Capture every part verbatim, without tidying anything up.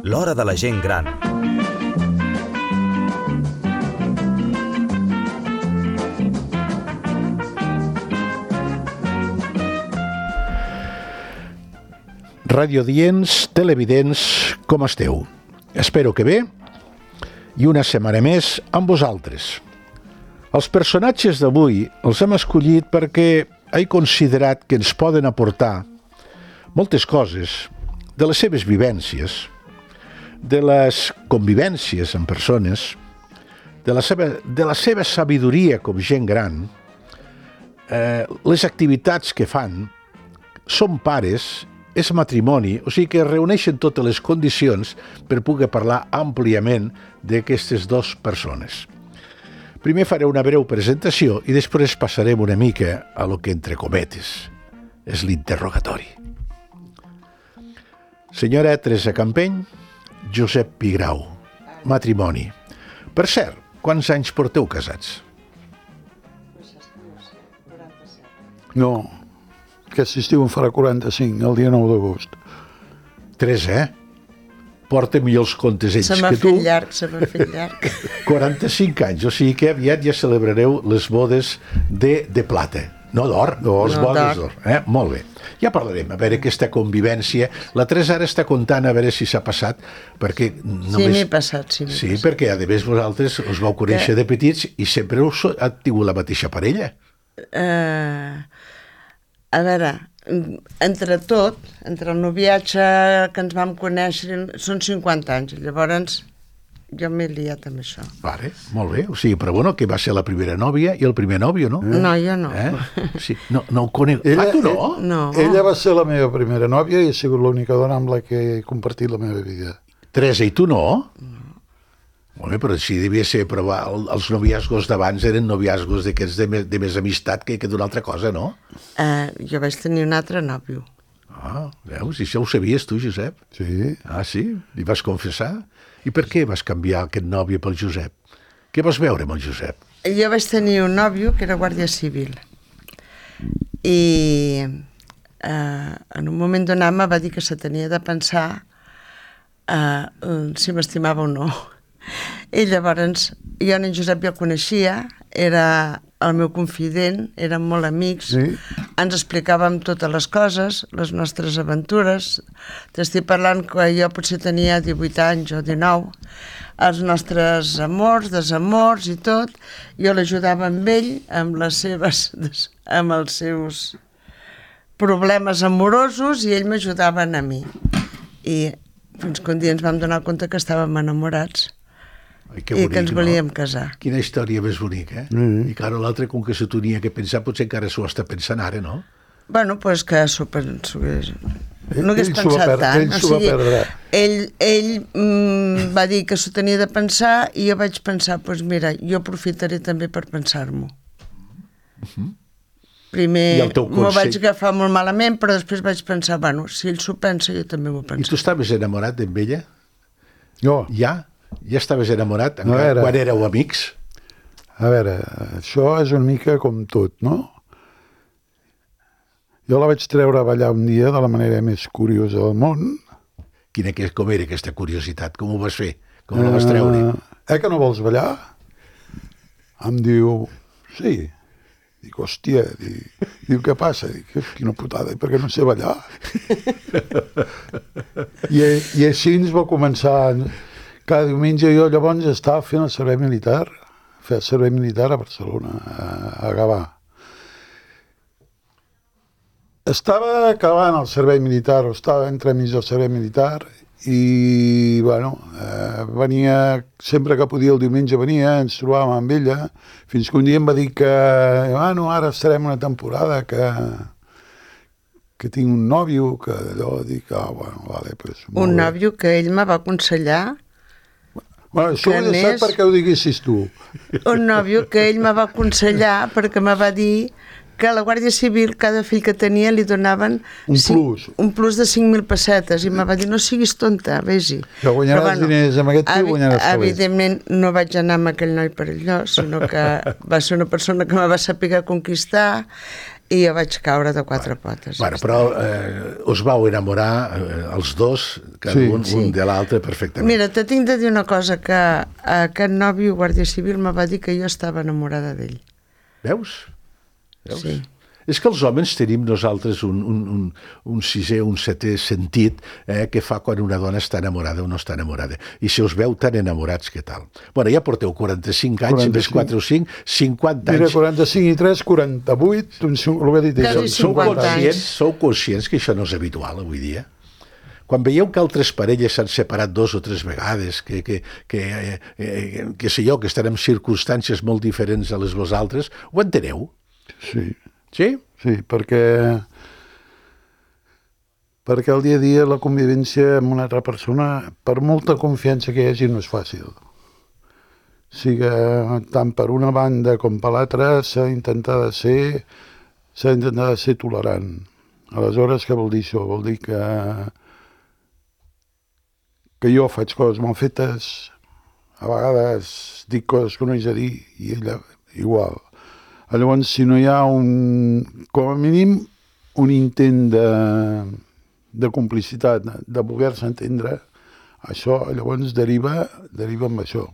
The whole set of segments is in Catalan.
L'hora de la gent gran. Radiodients, televidents, com esteu? Espero que bé i una setmana més amb vosaltres. Els personatges d'avui els hem escollit perquè he considerat que ens poden aportar moltes coses de les seves vivències, de les convivències amb persones, de la seva, de la seva sabidoria com gent gran, eh, les activitats que fan, són pares, és matrimoni, o sigui que reuneixen totes les condicions per poder parlar àmpliament d'aquestes dues persones. Primer faré una breu presentació i després passarem una mica a lo que entre cometes és l'interrogatori. Senyora Teresa Campeny, Josep Pigrau, matrimoni. Per cert, quants anys porteu casats? No, aquest estiu en farà quaranta-cinc, el dia nou d'agost. Tres, eh? Porta millors comptes ells se m'ha que tu. fet llarg, se m'ha fet llarg. quaranta-cinc anys, o sigui que aviat ja celebrareu les bodes de, de plata. No d'or, les no, bodes d'or. Eh? Molt bé. Ja parlarem, a veure aquesta convivència. La Teresa ara està contant a veure si s'ha passat, perquè només... Sí, m'he passat, sí. Sí, passat. Perquè a més vosaltres us vau conèixer que... de petits i sempre us ha tingut la mateixa parella. Uh, a veure, entre tot, entre el noviatge que ens vam conèixer, són cinquanta anys, llavors jo m'he liat amb això. Vale, molt bé, o sigui, però bueno, que va ser la primera nòvia i el primer nòvio, no? No, jo no. Eh? Sí, no, no ho conec. Ella, ah, tu no? No. Ella va ser la meva primera nòvia i ha sigut l'única dona amb la que he compartit la meva vida. Teresa, i tu no? No. Molt bé, però si devia ser, però els noviasgos d'abans eren noviasgos d'aquests de, més, de més amistat que, que d'una altra cosa, no? Uh, jo vaig tenir un altre nòvio. Ah, veus, i això ho sabies tu, Josep? Sí. Ah, sí? Li vas confessar? I per què vas canviar aquest nòvio pel Josep? Què vas veure amb el Josep? Jo vaig tenir un nòvio que era guàrdia civil i eh, en un moment donat me va dir que se tenia de pensar eh, si m'estimava o no. I llavors jo en Josep ja el coneixia, era el meu confident, érem molt amics, sí. Ens explicàvem totes les coses, les nostres aventures. T'estic parlant que jo potser tenia divuit anys o dinou, els nostres amors, desamors i tot. Jo l'ajudava amb ell, amb les seves, amb els seus problemes amorosos i ell m'ajudava a mi. I fins que un dia ens vam donar compte que estàvem enamorats. Ai, que i bonic, que ens volíem no? casar. Quina història més bonica, eh? Mm-hmm. I clar, l'altre, com que se tenia que pensar, potser encara s'ho està pensant ara, no? Bueno, doncs pues que s'ho pensés... No hagués ell pensat per, tant. Ell o s'ho va sigui, perdre. Ell, ell mm, va dir que s'ho tenia de pensar i jo vaig pensar, doncs pues mira, jo aprofitaré també per pensar-m'ho. Mm-hmm. Primer m'ho vaig agafar molt malament, però després vaig pensar, bueno, si ell s'ho pensa, jo també m'ho penso. I tu estaves enamorat d'en ella? Jo. Ja? Ja estaves enamorat no era... quan éreu amics? A veure, això és una mica com tot, no? Jo la vaig treure a ballar un dia de la manera més curiosa del món. Quina, com era aquesta curiositat? Com ho vas fer? Com la vas treure? Uh, eh que no vols ballar? Em diu, sí. Dic, hòstia, dic, diu, què passa? Dic, quina putada, perquè no sé ballar. I, I així ens va començar... Cada diumenge jo llavors estava fent el servei militar, fer el servei militar a Barcelona, a, a Gavà. Estava acabant el servei militar, o estava entremig del servei militar, i, bueno, eh, venia, sempre que podia el diumenge venia, ens trobàvem amb ella, fins que un dia em va dir que, bueno, ara estarem una temporada que... que tinc un nòvio, que allò, dic, ah, bueno, vale, pues... Un nòvio que ell me va aconsellar. Bueno, això ho he deixat perquè ho diguessis tu. Un nòvio que ell me va aconsellar perquè me va dir que a la Guàrdia Civil cada fill que tenia li donaven un cinc, plus un plus de cinc mil pessetes i me va dir no siguis tonta, vés-hi. Que guanyaràs bueno, diners amb aquest tio, guanyaràs calés. Evidentment no vaig anar amb aquell noi per allò, sinó que va ser una persona que me va saber conquistar i jo vaig caure de quatre potes. Bueno, però eh, us vau enamorar eh, els dos, cada Sí, un, sí. un de l'altre perfectament. Mira, te tinc de dir una cosa, que aquest nòvio guàrdia civil me va dir que jo estava enamorada d'ell. Veus? Veus? Sí. És que els homes tenim nosaltres un, un, un, un sisè, un setè sentit eh, que fa quan una dona està enamorada o no està enamorada. I si us veu tan enamorats, què tal? Bueno, ja porteu quaranta-cinc anys, quaranta-cinc. més quatre o cinc, cinquanta Mira, anys. quaranta-cinc i tres, quaranta-vuit, doncs, el que ha dit ell. Quasi Sou cinquanta conscients, anys. sou conscients que això no és habitual avui dia? Quan veieu que altres parelles s'han separat dos o tres vegades, que, que, que, eh, eh, que sé jo, que estan en circumstàncies molt diferents a les vosaltres, ho enteneu? Sí, Sí? sí, perquè perquè el dia a dia la convivència amb una altra persona, per molta confiança que hi hagi, no és fàcil. Siga tant per una banda com per l'altra, s'ha d'intentar de ser s'ha d'intentar de ser tolerant. Aleshores, què vol dir això? Vol dir que que jo faig coses mal fetes, a vegades dic coses que no he de dir, i ella igual. Llavors, si no hi ha un, com a mínim, un intent de, de complicitat, de voler-se entendre, això llavors deriva, deriva amb això.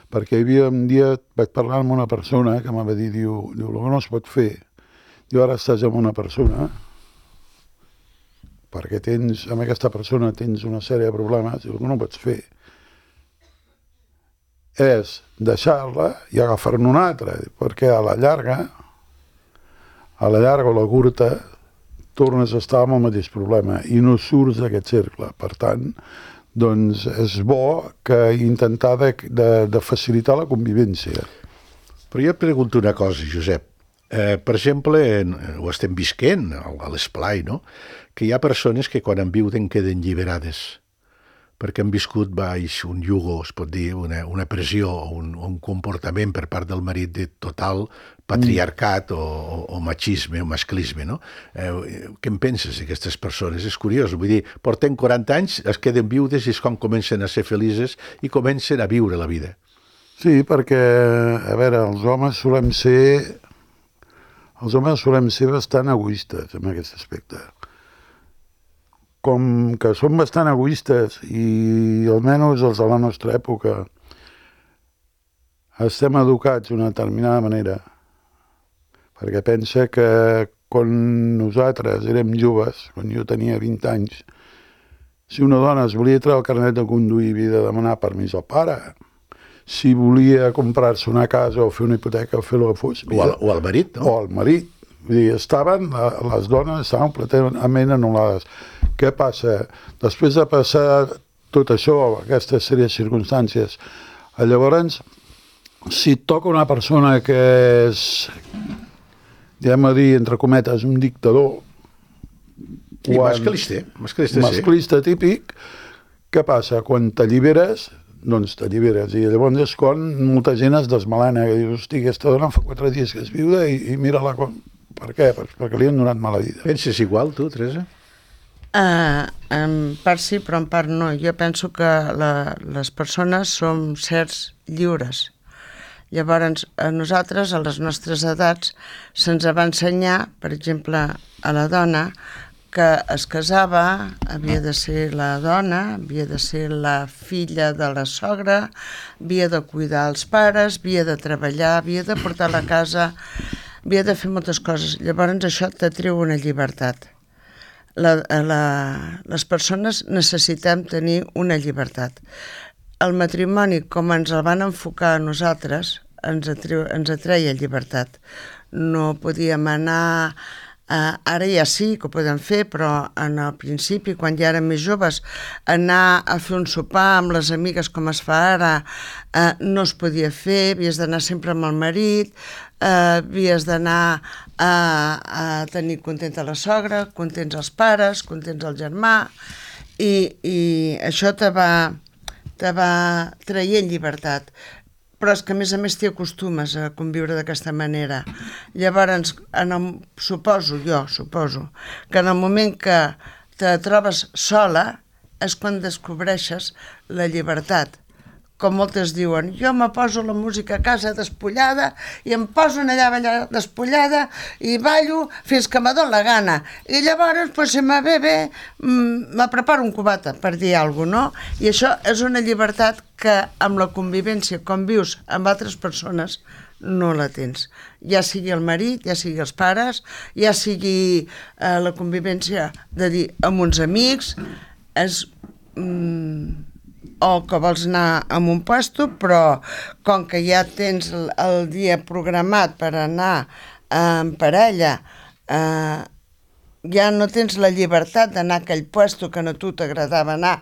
Perquè hi havia un dia, vaig parlar amb una persona que m'ha dit, diu, diu, el que no es pot fer, diu, ara estàs amb una persona, perquè tens, amb aquesta persona tens una sèrie de problemes, diu, el que no pots fer és deixar-la i agafar-ne una altra, perquè a la llarga, a la llarga o la curta, tornes a estar amb el mateix problema i no surts d'aquest cercle. Per tant, doncs és bo que intentar de, de, de facilitar la convivència. Però jo et pregunto una cosa, Josep. Eh, per exemple, en, ho estem visquent a l'esplai, no? Que hi ha persones que quan en viuden queden alliberades perquè han viscut baix un yugo, es pot dir, una, una pressió o un, un comportament per part del marit de total patriarcat mm. o, o, o machisme o masclisme, no? Eh, què en penses d'aquestes persones? És curiós, vull dir, porten quaranta anys, es queden viudes i és quan comencen a ser felices i comencen a viure la vida. Sí, perquè, a veure, els homes solem ser els homes solem ser bastant egoistes en aquest aspecte. Com que som bastant egoistes i almenys els de la nostra època estem educats d'una determinada manera, perquè pensa que quan nosaltres érem joves, quan jo tenia vint anys, si una dona es volia treure el carnet de conduir havia de demanar permís al pare, si volia comprar-se una casa o fer una hipoteca o fer el que fos. O al, o al marit, no? O al marit. Vull dir, estaven, les dones estaven completament anul·lades. Què passa? Després de passar tot això, aquestes sèries de circumstàncies, llavors, si et toca una persona que és, diguem a dir, entre cometes, un dictador, I masclista, masclista, sí. masclista típic, què passa? Quan t'alliberes, doncs t'alliberes. I llavors és quan molta gent es desmalena, que dius, hosti, aquesta dona fa quatre dies que és viuda i, i mira-la com... Per què? Perquè li han donat mala vida. Penses igual, tu, Teresa? Uh, en part sí, però en part no. Jo penso que la, les persones som sers lliures. Llavors, a nosaltres, a les nostres edats, se'ns va ensenyar, per exemple, a la dona, que es casava, havia de ser la dona, havia de ser la filla de la sogra, havia de cuidar els pares, havia de treballar, havia de portar la casa, havia de fer moltes coses. Llavors això t'atreu una llibertat. La, la, les persones necessitem tenir una llibertat. El matrimoni, com ens el van enfocar a nosaltres, ens, atreu, ens atreia llibertat. No podíem anar... Uh, ara ja sí que ho podem fer, però en el principi, quan ja érem més joves, anar a fer un sopar amb les amigues com es fa ara, uh, no es podia fer, havies d'anar sempre amb el marit, uh, havies d'anar a, a tenir contenta la sogra, contents els pares, contents el germà, i, i això te va, te va traient llibertat. Però és que a més a més t'hi acostumes a conviure d'aquesta manera. Llavors, en el, suposo, jo suposo, que en el moment que te trobes sola és quan descobreixes la llibertat. com moltes diuen, jo me poso la música a casa despullada i em poso allà ballar despullada i ballo fins que me dóna la gana. I llavors, pues, si me ve bé, me preparo un cubata, per dir alguna cosa, no? I això és una llibertat que amb la convivència, com vius amb altres persones, no la tens. Ja sigui el marit, ja sigui els pares, ja sigui eh, la convivència de dir amb uns amics, és... Mm, o que vols anar a un puesto, però com que ja tens el, el dia programat per anar eh, en parella, eh, ja no tens la llibertat d'anar a aquell puesto que no tu t'agradava anar,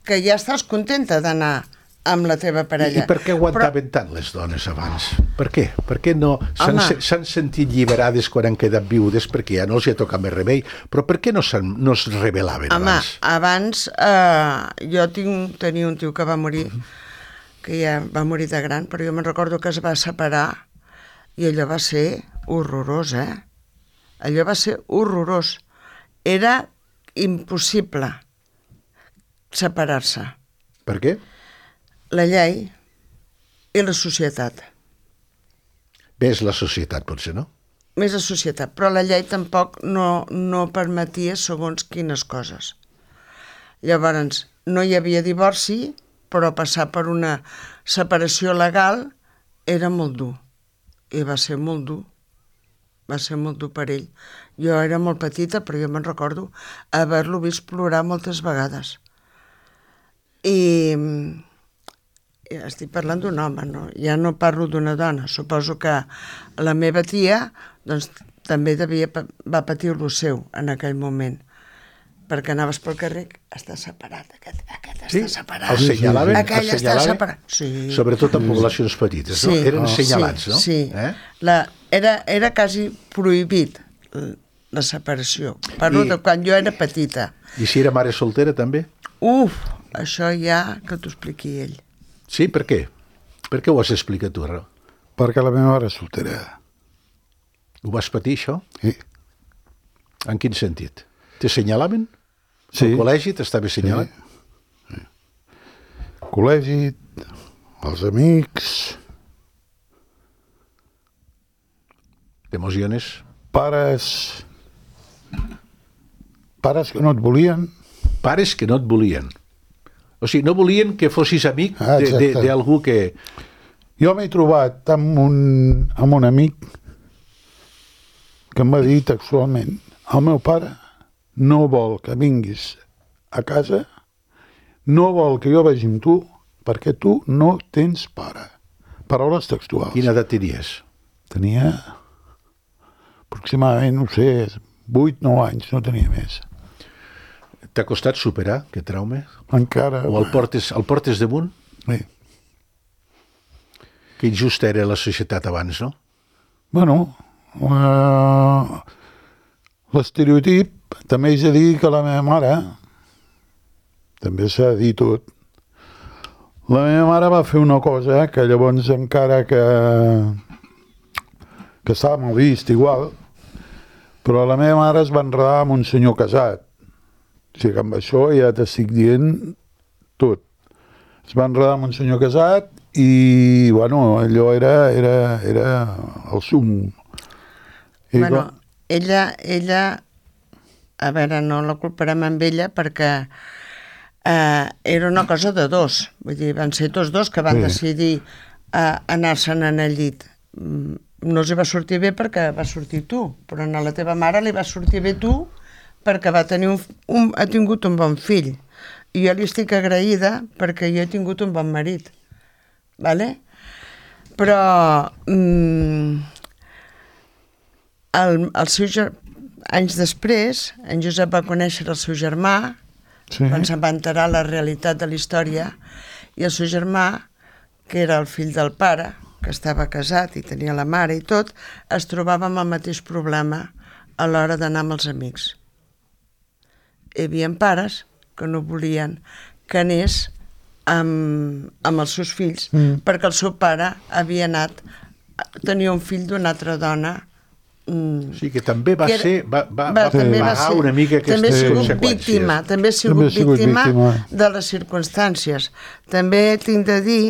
que ja estàs contenta d'anar amb la teva parella. I, i per què aguantaven però... tant les dones abans? Per què? Per què no s'han se, sentit lliberades quan han quedat viudes perquè ja no els hi ha tocat més remei? Però per què no, no es rebel·laven Home, abans? abans eh, jo tinc, tenia un tio que va morir, que ja va morir de gran, però jo me'n recordo que es va separar i allò va ser horrorós, eh? Allò va ser horrorós. Era impossible separar-se. Per què? La llei i la societat. Més la societat, potser, no? Més la societat, però la llei tampoc no, no permetia segons quines coses. Llavors, no hi havia divorci, però passar per una separació legal era molt dur. I va ser molt dur. Va ser molt dur per ell. Jo era molt petita, però jo me'n recordo haver-lo vist plorar moltes vegades. I... estic parlant d'un home, no? Ja no parlo d'una dona. Suposo que la meva tia doncs, també devia, va patir lo seu en aquell moment, perquè anaves pel carrer, està separat, aquest, aquest sí? està separat. El senyalaven? Aquell el està separat. Sí. Sobretot en poblacions petites, sí. no? Eren oh, senyalats, sí, no? Sí, eh? la, era, era quasi prohibit la separació. Parlo I, de quan jo era petita. I si era mare soltera, també? Uf, això ja que t'ho expliqui ell. Sí, per què? Per què ho has explicat tu, Raó? Perquè la meva mare és soltera. Ho vas patir, això? Sí. En quin sentit? T'assenyalaven? Sí. Al col·legi t'estava assenyalat? Sí. Sí. Col·legi, els amics... T'emociones? Pares... Pares que no et volien. Pares que no et volien. O sigui, no volien que fossis amic ah, d'algú que... Jo m'he trobat amb un, amb un amic que em va dir textualment: el meu pare no vol que vinguis a casa, no vol que jo vagi amb tu, perquè tu no tens pare. Paraules textuals. Quina edat tenies? Tenia aproximadament, no sé, vuit nou anys, no tenia més. T'ha costat superar aquest trauma? Encara... O el portes, el portes damunt? Sí. Que injusta era la societat abans, no? Bueno, uh, l'estereotip també és a dir que la meva mare, també s'ha de dir tot, la meva mare va fer una cosa que llavors encara que, que estava mal vist igual, però la meva mare es va enredar amb un senyor casat. O sigui que amb això ja t'estic dient tot. Es va enredar amb un senyor casat i, bueno, allò era, era, era el sum. I bueno, com... ella, ella, a veure, no la culparem amb ella perquè eh, era una cosa de dos. Vull dir, van ser tots dos que van sí. decidir eh, anar-se'n en el llit. No els hi va sortir bé perquè va sortir tu, però a la teva mare li va sortir bé tu perquè va tenir un, un, ha tingut un bon fill. I jo li estic agraïda perquè jo he tingut un bon marit. Vale? Però mm, el, el seu, anys després, en Josep va conèixer el seu germà, sí. quan se'n va enterar la realitat de la història, i el seu germà, que era el fill del pare, que estava casat i tenia la mare i tot, es trobava amb el mateix problema a l'hora d'anar amb els amics. Hi havia pares que no volien que anés amb, amb els seus fills mm. perquè el seu pare havia anat, tenia un fill d'una altra dona O sigui que també va que era- ser... Va, va, va, va també va pagar ser- una mica aquestes també ha sigut conseqüències. víctima, també ha sigut, També ha sigut víctima, víctima. de les circumstàncies. També tinc de dir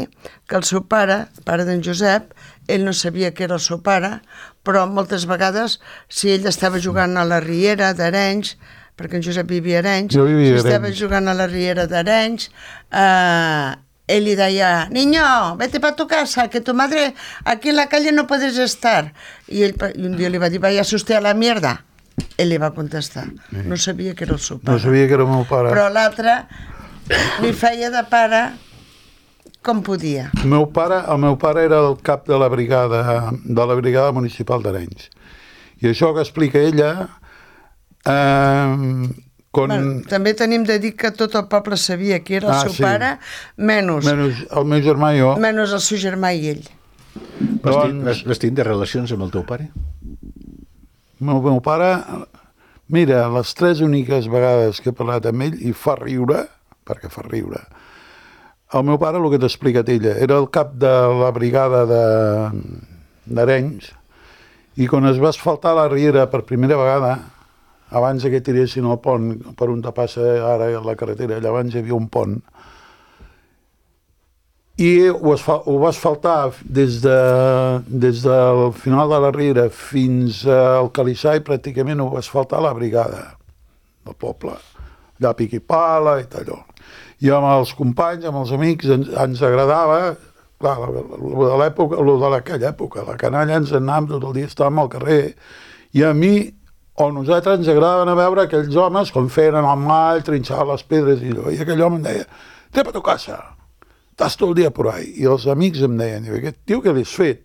que el seu pare, pare d'en Josep, ell no sabia que era el seu pare, però moltes vegades, si ell estava jugant a la riera d'Arenys, perquè en Josep vivia a Arenys, Jo vivia a si estava Arenys. jugant a la riera d'Arenys, eh, él le decía, niño, vete para tu casa, que tu madre aquí en la calle no puedes estar. Y, él, y un día le va a decir, vayas usted a la mierda. Él le va contestar. No sabia que era el seu pare. No sabia que era el meu pare. Però l'altre li feia de pare com podia. El meu pare, el meu pare era el cap de la brigada, de la brigada municipal d'Arenys. I això que explica ella... Eh, Con... Bueno, també tenim de dir que tot el poble sabia que era el Ah, seu sí. pare, menys, menys el meu germà i jo. menys el seu germà i ell. Vas, Doncs- tenir, vas, vas tenir de relacions amb el teu pare? El meu, meu pare, mira, les tres úniques vegades que he parlat amb ell, i fa riure, perquè fa riure, el meu pare, el que t'ha explicat ella, era el cap de la brigada de- d'Arenys, i quan es va asfaltar la riera per primera vegada, abans que tiressin el pont per on te passa ara la carretera, allà abans hi havia un pont, i ho, asfal, ho va asfaltar des, de, des del final de la riera fins al Calissai, pràcticament ho va asfaltar la brigada del poble, allà pic i pala i allò. I amb els companys, amb els amics, ens, ens agradava, clar, lo de l'època, lo de aquella època, la canalla ens anàvem tot el dia, estàvem al carrer, i a mi o nosaltres ens agradaven a veure aquells homes com feien el mall, trinxaven les pedres i allò. I aquell home em deia, té per tu casa, estàs tot el dia por ahí. I els amics em deien, aquest tio que l'has fet,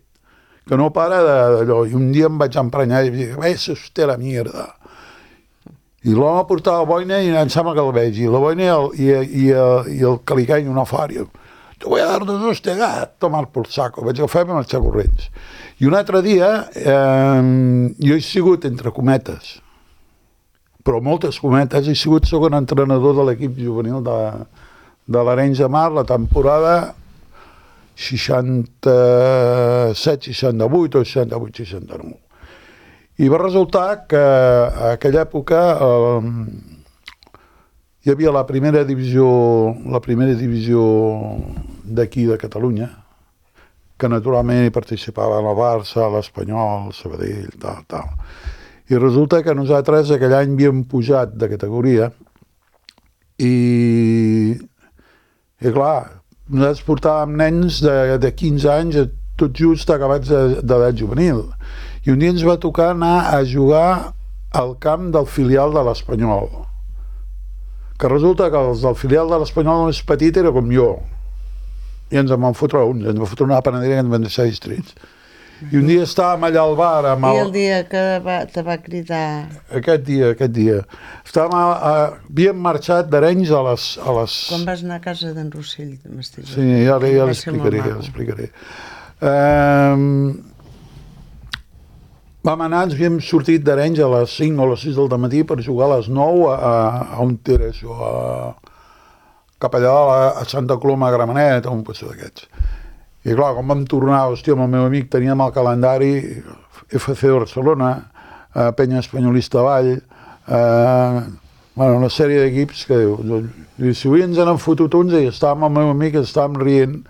que no para d'allò. I un dia em vaig emprenyar i vaig dir, vés usted a la mierda. I l'home portava boina i em sembla que el veig, i la boina i el, i, i, i el calicany una fària. Te voy a dar dos hostegas, tomar por saco. Vaig agafar i marxar corrents. I un altre dia, eh, jo he sigut, entre cometes, però moltes cometes, he sigut segon entrenador de l'equip juvenil de, de l'Arenys de Mar la temporada seixanta-set seixanta-vuit o seixanta-vuit seixanta-nou. I va resultar que a aquella època eh, hi havia la primera divisió, la primera divisió d'aquí de Catalunya, que naturalment hi participaven el Barça, l'Espanyol, el Sabadell, tal, tal. I resulta que nosaltres aquell any havíem pujat de categoria i, i clar, nosaltres portàvem nens de, de quinze anys, tot just acabats d'edat juvenil. I un dia ens va tocar anar a jugar al camp del filial de l'Espanyol. Que resulta que els del filial de l'Espanyol més petit era com jo. I ens en van fotre uns, ens va fotre una panadera que ens van deixar distrits. I un dia estàvem allà al bar amb I el... el dia que va, te va cridar... Aquest dia, aquest dia. Estàvem a, a... Havíem marxat d'Arenys a les... A les... Quan vas anar a casa d'en Rossell, m'estic Sí, ja, ja Va ser molt l'explicaré, ja maco. l'explicaré. Um, vam anar, ens havíem sortit d'Arenys a les cinc o les sis del matí per jugar a les nou a, a on era això, a, cap allà a, a Santa Coloma, a Gramenet, a un pastor d'aquests. I clar, quan vam tornar, hòstia, amb el meu amic teníem el calendari F C de Barcelona, eh, Penya Espanyolista Vall, eh, bueno, una sèrie d'equips que diu, diu, si avui ens n'han fotut uns i estàvem amb el meu amic, estàvem rient,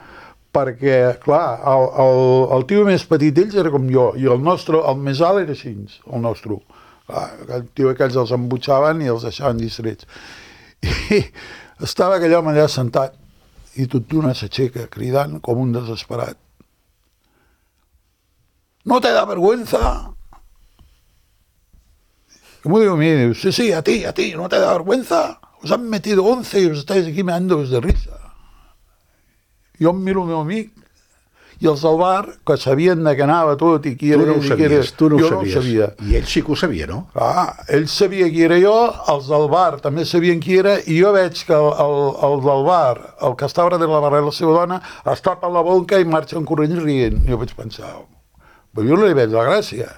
perquè, clar, el, el, el tio més petit d'ells era com jo, i el nostre, el més alt era així, el nostre. Clar, el tio aquells els embutxaven i els deixaven distrets. I estava aquell home allà sentat, i tot d'una s'aixeca, cridant com un desesperat. ¿No te da vergüenza? ¿Cómo digo a mí? Digo, sí, sí, a ti, a ti, ¿no te da vergüenza? Os han metido once y os estáis aquí meando-vos de risa. Jo em miro el meu amic i els del bar, que sabien de què anava tot i qui Tu era... no ho i qui era, sabies, tu no ho jo sabies. no ho sabia. I ell sí que ho sabia, no? Ah, ell sabia qui era jo, els del bar també sabien qui era, i jo veig que el, el, el del bar, el que estava darrere la barra de la seva dona, es tapa la boca i marxa en corrent rient. Jo vaig pensar, però jo no li veig la gràcia.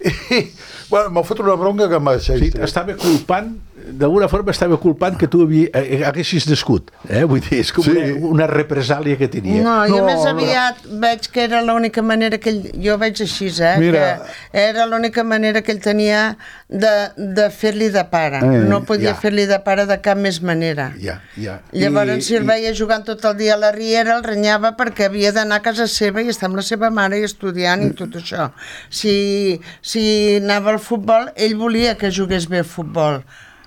I, bueno, m'ha fet una bronca que em va deixar. Sí, estava culpant d'alguna forma estava culpant que tu havia, eh, haguessis nascut, eh? Vull dir, és com Sí. una, una represàlia que tenia. No, jo No, més no. aviat veig que era l'única manera que ell... Jo veig així, eh? Mira. Que era l'única manera que ell tenia de, de fer-li de pare. Eh, no podia ja. fer-li de pare de cap més manera. Ja, ja. Llavors, I- si el i- veia jugant tot el dia a la riera, el renyava perquè havia d'anar a casa seva i estar amb la seva mare i estudiant i tot això. Si, si anava al futbol, ell volia que jugués bé a futbol.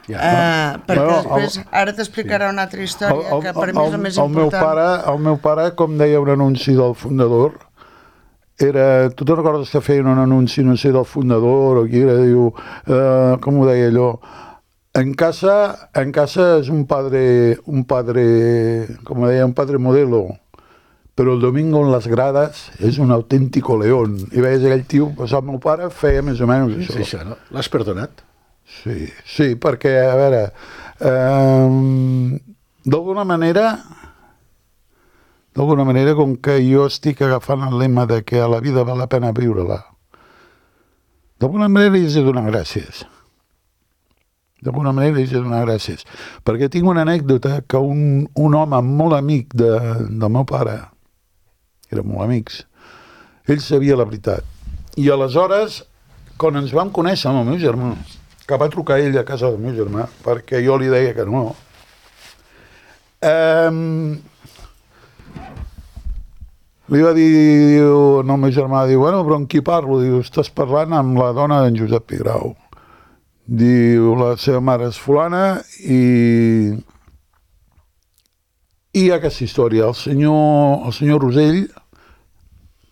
Ja. Uh, perquè Bueno, després, el- ara t'explicarà una altra història El- que el- per mi és la més el meu important. pare, el meu pare, com deia un anunci del fundador, era, tu te'n recordes que feien un anunci, no sé, del fundador o qui era, diu, eh, com ho deia allò, en casa, en casa és un padre, un padre, com deia, un padre modelo, però el domingo en les grades és un autèntico león. I veies aquell tio, doncs el meu pare feia més o menys És això. això, no? L'has perdonat? Sí, sí, perquè, a veure, eh, d'alguna manera, d'alguna manera, com que jo estic agafant el lema de que a la vida val la pena viure-la, d'alguna manera li he de donar gràcies. D'alguna manera li he de donar gràcies. Perquè tinc una anècdota que un, un home molt amic de, del meu pare, eren molt amics, ell sabia la veritat. I aleshores, quan ens vam conèixer amb el meu germà, que va trucar ell a casa del meu germà, perquè jo li deia que no, eh, li va dir, diu, no, el meu germà, diu, bueno, però amb qui parlo? Diu, estàs parlant amb la dona d'en Josep Pigrau. Diu, la seva mare és fulana i... I hi ha aquesta història. El senyor, el senyor Rosell,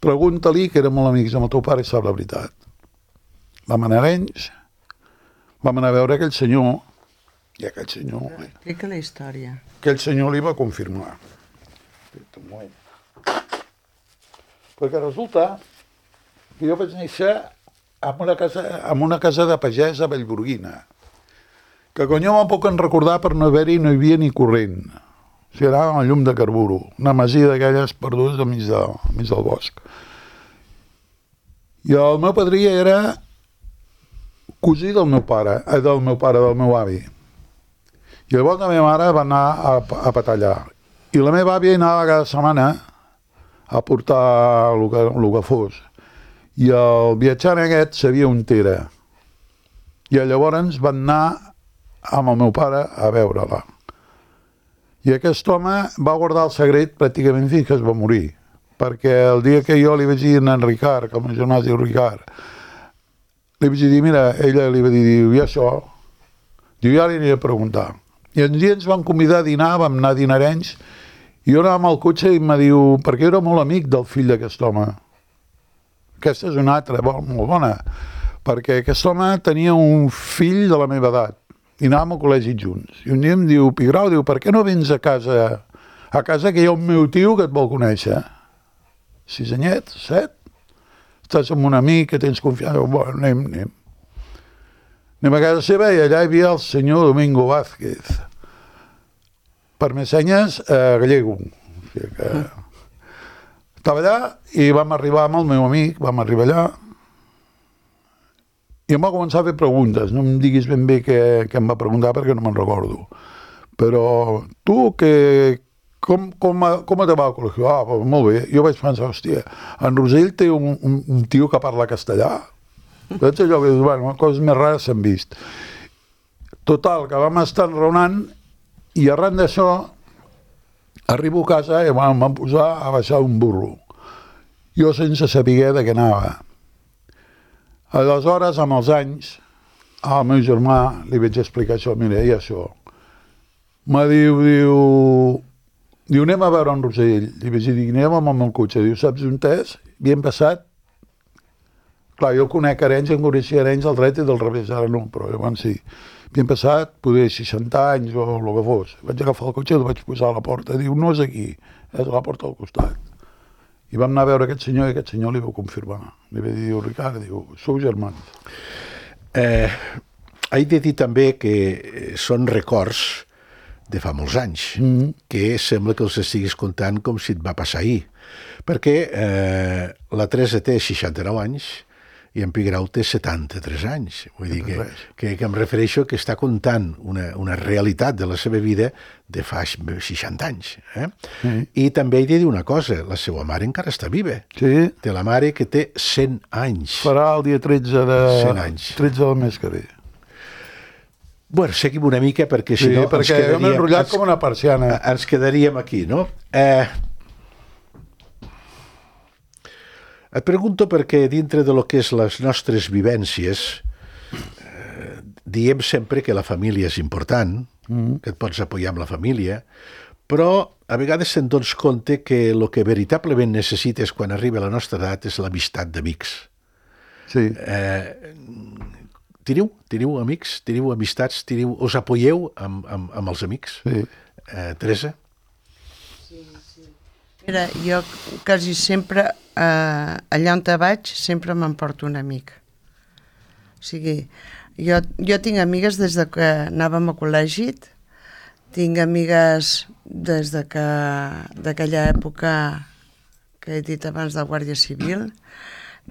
pregunta-li, que eren molt amics amb el teu pare i sap la veritat. Vam anar a Arenys, vam anar a veure aquell senyor, i aquell senyor, Explica la història. aquell senyor li va confirmar. Espera't un moment. Perquè resulta que jo vaig néixer en una casa, en una casa de pagès a Vallgorguina, que quan jo me'n puc en recordar per no haver-hi no hi havia ni corrent. O sigui, anàvem a llum de carburo, una masia d'aquelles perdudes al mig, de, al mig del bosc. I el meu padrí era cosí del meu pare, eh, del meu pare, del meu avi. I llavors la meva mare va anar a, a patallar. I la meva àvia anava cada setmana a portar el que, el que fos. I el viatjant aquest sabia on era. I llavors van anar amb el meu pare a veure-la. I aquest home va guardar el secret pràcticament fins que es va morir. Perquè el dia que jo li vaig dir a en Ricard, que el meu germà es diu Ricard, li vaig dir, mira, ella li va dir, diu, i això? Diu, ja li aniré a preguntar. I un dia ens van convidar a dinar, vam anar a dinar a Arenys, i jo anava amb el cotxe i em diu, perquè era molt amic del fill d'aquest home. Aquesta és una altra, molt bona, perquè aquest home tenia un fill de la meva edat, i anàvem al col·legi junts. I un dia em diu, Pigrau, diu, per què no vens a casa, a casa que hi ha un meu tio que et vol conèixer? Sis anyets, set? Estàs amb un amic que tens confiança? Bueno, anem, anem. Anem a casa seva i allà hi havia el senyor Domingo Vázquez. Per més senyes, eh, gallego. O sigui que... Estava allà i vam arribar amb el meu amic, vam arribar allà, i em va començar a fer preguntes. No em diguis ben bé què, què em va preguntar perquè no me'n recordo. Però tu, que, com, com, com te va al col·legi? Ah, pues, molt bé. Jo vaig pensar, hòstia, en Rosell té un, un, un tio que parla castellà. Veig allò que dius, bueno, coses més rares s'han vist. Total, que vam estar enraonant i arran d'això arribo a casa i em van posar a baixar un burro. Jo sense saber de què anava. Aleshores, amb els anys, al meu germà li vaig explicar això, mira, i això. Me diu, diu, diu, anem a veure en Rosell. Li vaig dir, anem amb el meu cotxe. Diu, saps on és? Havíem passat. Clar, jo conec Arenys, em coneixia Arenys al dret i del revés, ara no, però llavors sí. Havíem passat, poder, seixanta anys o el que fos. Vaig agafar el cotxe i el vaig posar a la porta. Diu, no és aquí, és a la porta al costat. I vam anar a veure aquest senyor i aquest senyor li va confirmar. Li va dir, diu, Ricard, diu, sou germans. Eh, he de dir també que són records de fa molts anys, mm-hmm. que sembla que els estiguis contant com si et va passar ahir. Perquè eh, la Teresa té seixanta-nou anys i en Pigrau té setanta-tres anys. Vull dir que, res. que, que em refereixo que està contant una, una realitat de la seva vida de fa seixanta anys. Eh? Sí. I també he de dir una cosa, la seva mare encara està viva. Sí, Té la mare que té cent anys. farà el dia tretze de... cent anys. tretze del mes que ve. Bueno, seguim una mica perquè si Sí, no perquè ens hem enrotllat ens- com una persiana. ens quedaríem aquí, no? Eh, et pregunto perquè dintre de lo que és les nostres vivències eh, diem sempre que la família és important, mm. que et pots apoyar amb la família, però a vegades se'n dones compte que el que veritablement necessites quan arriba a la nostra edat és l'amistat d'amics. Sí. Eh, teniu, teniu amics, teniu amistats, teniu, us apoyeu amb, amb, amb els amics? Sí. Eh, Teresa? Mira, jo quasi sempre, eh, allà on te vaig, sempre m'emporto un amic. O sigui, jo, jo tinc amigues des de que anàvem a col·legi, tinc amigues des de que d'aquella època que he dit abans de Guàrdia Civil,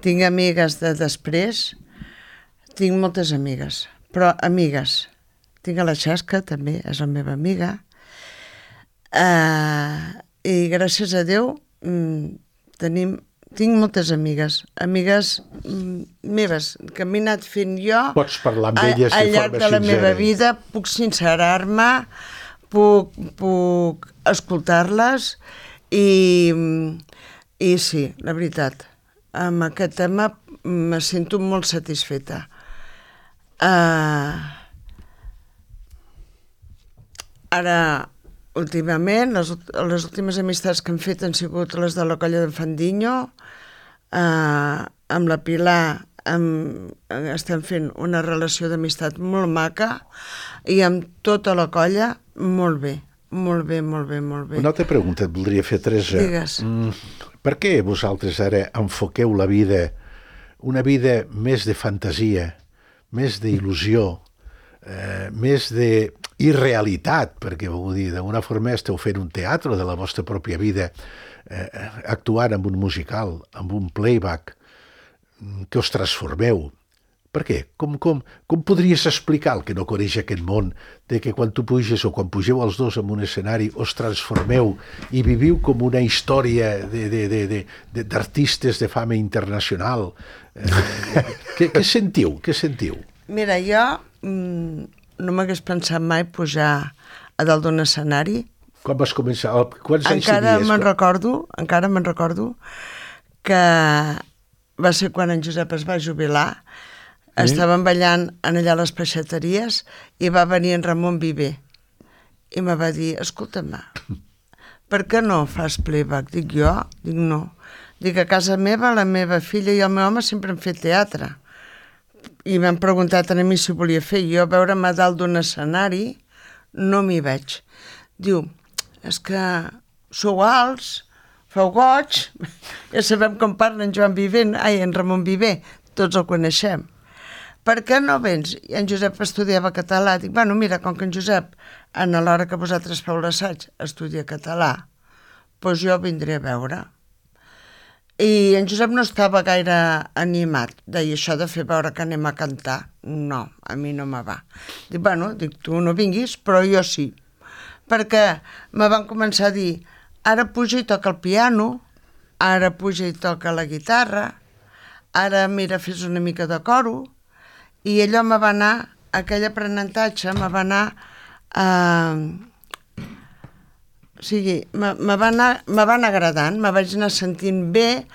tinc amigues de després, tinc moltes amigues, però amigues. Tinc a la Xasca, també, és la meva amiga. Uh, I gràcies a Déu mm, tenim, tinc moltes amigues, amigues mm, meves, que m'he anat fent jo Pots parlar amb elles a, de al llarg forma de la sincera. meva vida, puc sincerar-me, puc, puc escoltar-les i, i sí, la veritat, amb aquest tema me sento molt satisfeta. Uh, ara, últimament, les, les últimes amistats que hem fet han sigut les de la colla d'en Fandiño, eh, amb la Pilar amb, estem fent una relació d'amistat molt maca i amb tota la colla molt bé, molt bé, molt bé, molt bé. Una altra pregunta et voldria fer, Teresa. Digues. Mm, per què vosaltres ara enfoqueu la vida, una vida més de fantasia, més d'il·lusió, eh, més de irrealitat, perquè vull dir, d'alguna forma esteu fent un teatre de la vostra pròpia vida, eh, actuant amb un musical, amb un playback, que us transformeu. Per què? Com, com, com podries explicar el que no coneix aquest món de que quan tu puges o quan pugeu els dos en un escenari us transformeu i viviu com una història de, de, de, de, de, d'artistes de fama internacional? Eh, què, què sentiu? Què sentiu? Mira, jo mm, no m'hagués pensat mai pujar a dalt d'un escenari. Quan vas començar? Quants anys Encara tenies? me'n recordo, encara me'n recordo que va ser quan en Josep es va jubilar. Sí. Estàvem ballant en allà a les peixateries i va venir en Ramon Viver i me va dir, escolta'm, per què no fas playback? Dic jo, dic no. Dic, a casa meva, la meva filla i el meu home sempre han fet teatre. I m'han preguntat a mi si volia fer. Jo veure'm a dalt d'un escenari no m'hi veig. Diu, és que sou alts, feu goig, ja sabem com parla en Joan Viver, ai, en Ramon Viver, tots el coneixem. Per què no vens? I en Josep estudiava català. Dic, bueno, mira, com que en Josep, en l'hora que vosaltres feu l'assaig, estudia català, doncs jo vindré a veure. I en Josep no estava gaire animat. Deia, això de fer veure que anem a cantar, no, a mi no me va. Dic, bueno, dic, tu no vinguis, però jo sí. Perquè me van començar a dir, ara puja i toca el piano, ara puja i toca la guitarra, ara, mira, fes una mica de coro, i allò me va anar, aquell aprenentatge me va anar, eh, o sigui, me, me, va anar, me va anar agradant, me vaig anar sentint bé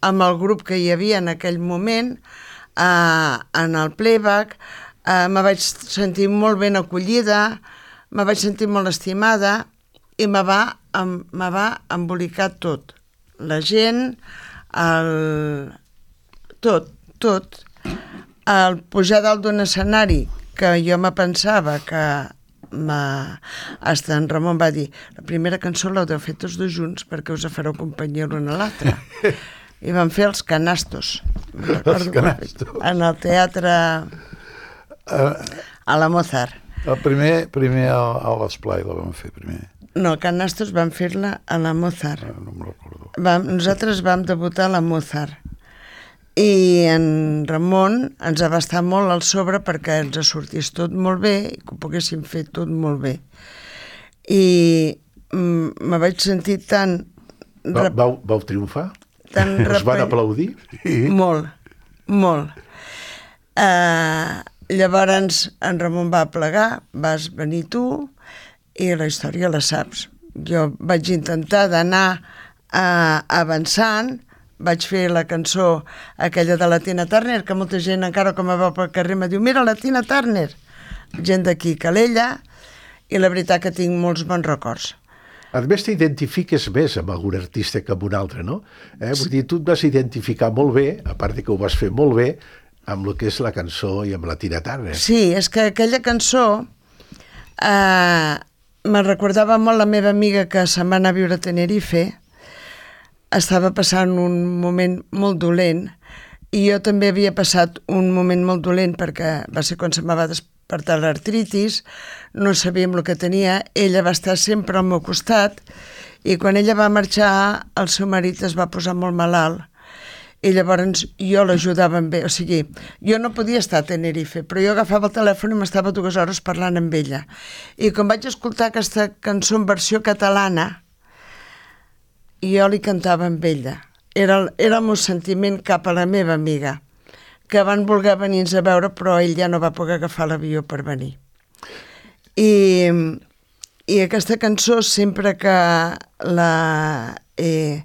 amb el grup que hi havia en aquell moment, eh, en el playback, eh, me vaig sentir molt ben acollida, me vaig sentir molt estimada i me va, em, me va embolicar tot. La gent, el... tot, tot. El pujar dalt d'un escenari que jo me pensava que ma... hasta en Ramon va dir, la primera cançó l'heu de fer tots dos junts perquè us fareu companyia l'un a l'altre. I vam fer els canastos. Els canastos. En el teatre a la Mozart. El primer, primer a l'Esplai la vam fer primer. No, canastos vam fer-la a la Mozart. No, no me'n recordo. Vam, nosaltres vam debutar a la Mozart. i en Ramon ens va estar molt al sobre perquè ens sortís tot molt bé i que ho poguéssim fer tot molt bé. I mm, me vaig sentir tan... Va, vau, vau triomfar? Tan Us van aplaudir? Molt, molt. Uh, llavors en Ramon va plegar, vas venir tu i la història la saps. Jo vaig intentar d'anar uh, avançant, vaig fer la cançó aquella de la Tina Turner, que molta gent encara com a veu pel carrer me diu mira la Tina Turner, gent d'aquí Calella, i la veritat que tinc molts bons records. A més, t'identifiques més amb algun artista que amb un altre, no? Eh? Vull dir, tu et vas identificar molt bé, a part de que ho vas fer molt bé, amb el que és la cançó i amb la Tina Turner. Sí, és que aquella cançó eh, me recordava molt la meva amiga que se'n va anar a viure a Tenerife, estava passant un moment molt dolent i jo també havia passat un moment molt dolent perquè va ser quan se'm va despertar l'artritis, no sabíem el que tenia, ella va estar sempre al meu costat i quan ella va marxar el seu marit es va posar molt malalt i llavors jo l'ajudava amb ell, o sigui, jo no podia estar a Tenerife, però jo agafava el telèfon i m'estava dues hores parlant amb ella. I quan vaig escoltar aquesta cançó en versió catalana, jo li cantava amb ella. Era, era el meu sentiment cap a la meva amiga, que van voler venir-nos a veure, però ell ja no va poder agafar l'avió per venir. I, i aquesta cançó, sempre que la... Eh,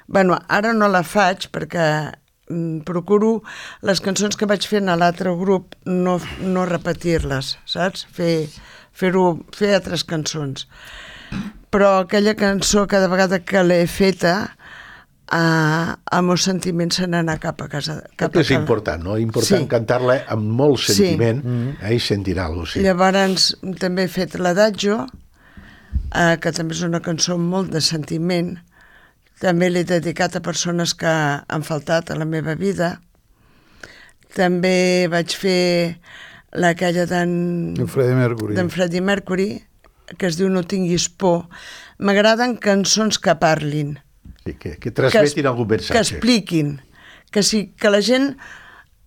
bueno, ara no la faig perquè mm, procuro les cançons que vaig fent a l'altre grup no, no repetir-les, saps? Fer, fer-ho, fer altres cançons. Però aquella cançó, cada vegada que l'he feta, eh, el meu sentiment se n'anà cap a casa. Cap és important, no? Important sí. Cantar-la amb molt sentiment, sí. eh, i sentir alguna cosa. Sí. Llavors també he fet l'Adagio, eh, que també és una cançó amb molt de sentiment. També l'he dedicat a persones que han faltat a la meva vida. També vaig fer aquella d'en Freddie Mercury. d'en Freddie Mercury, que es diu No tinguis por. M'agraden cançons que parlin. Sí, que, que transmetin que algun missatge. Que expliquin. Que, sí, que la gent